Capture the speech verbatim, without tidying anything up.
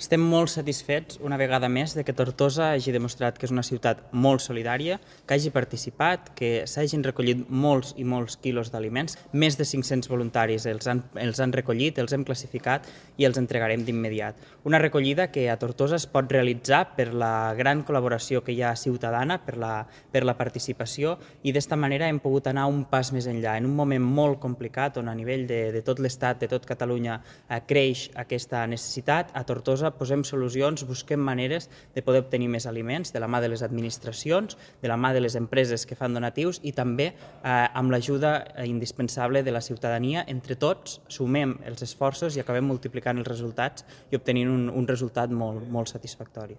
Estem molt satisfets, una vegada més, de que Tortosa hagi demostrat que és una ciutat molt solidària, que hagi participat, que s'hagin recollit molts i molts quilos d'aliments. Més de cinc-cents voluntaris els han, els han recollit, els hem classificat i els entregarem d'immediat. Una recollida que a Tortosa es pot realitzar per la gran col·laboració que hi ha ciutadana, per la, per la participació, i d'esta manera hem pogut anar un pas més enllà. En un moment molt complicat, on a nivell de, de tot l'Estat, de tot Catalunya, eh, creix aquesta necessitat, a Tortosa posem solucions, busquem maneres de poder obtenir més aliments de la mà de les administracions, de la mà de les empreses que fan donatius i també eh, amb l'ajuda indispensable de la ciutadania. Entre tots sumem els esforços i acabem multiplicant els resultats i obtenint un, un resultat molt, molt satisfactori.